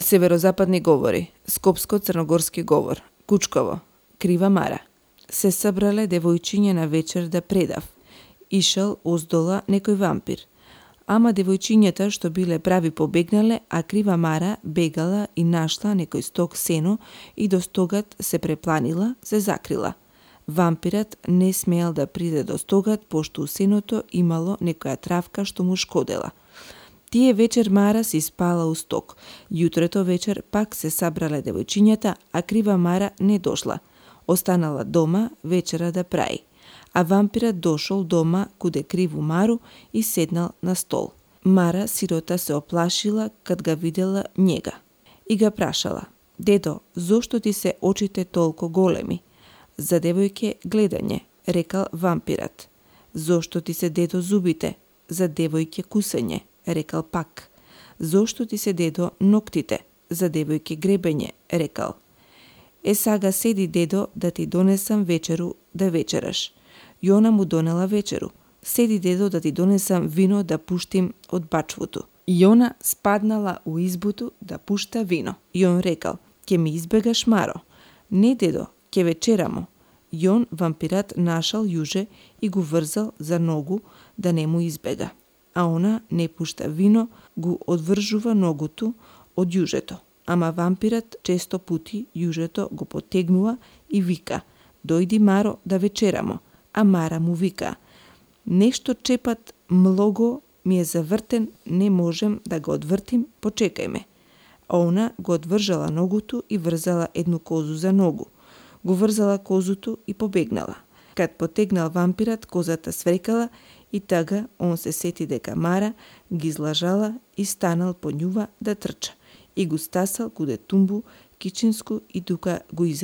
Северозападни говори, Скопско-црногорски говор, Кучково, Крива Мара. Се собрале девојчиња на вечер да предав. Ишел оздола некој вампир. Ама девојчињата што биле прави побегнале, а Крива Мара бегала и нашла некој стог сено и до стогат се препланила, се закрила. Вампират не смеел да приде до стогат, пошто у сеното имало некоја травка што му шкодела. Тие вечер Мара си спала у стог. Јутрото вечер пак се сабрале девојчињата, а Крива Мара не дошла. Останала дома вечера да прави. А вампират дошол дома куде Криву Мару и седнал на стол. Мара сирота се оплашила кад га видела njega. И га прашала: "Дедо, зошто ти се очите толку големи?" "За девојке гледање," рекал вампират. "Зошто ти се дедо зубите?" "За девојке кусење," рекал пак. "Зошто ти се дедо ноктите?" "За девојке гребење," рекал. Сага седи дедо да ти донесам вечеру да вечераш." Јона му донела вечеру. "Седи дедо да ти донесам вино да пуштим од бачвото." Јона спаднала у избуту да пушта вино. Јон рекал: "Ке ми избегаш, Маро?" "Не, дедо, ке вечерамо." Јон вампират нашал јуже и го врзал за ногу да не му избега. А она не пушта вино, го одвржува ногуту од јужето. Ама вампират често пути јужето го потегнува и вика: "Дојди, Маро, да вечерамо." А Мара му вика: "Нешто чепат млого ми е завртен, не можем да го одвртим, почекај ме." А она го одвржала ногуту и врзала едну козу за ногу. Го врзала козуту и побегнала. Кад потегнал вампират, козата сврекала и тага он се сети дека Мара ги излажала и станал по њува да трча и го стасал куде тумбу кичинску и тука го изел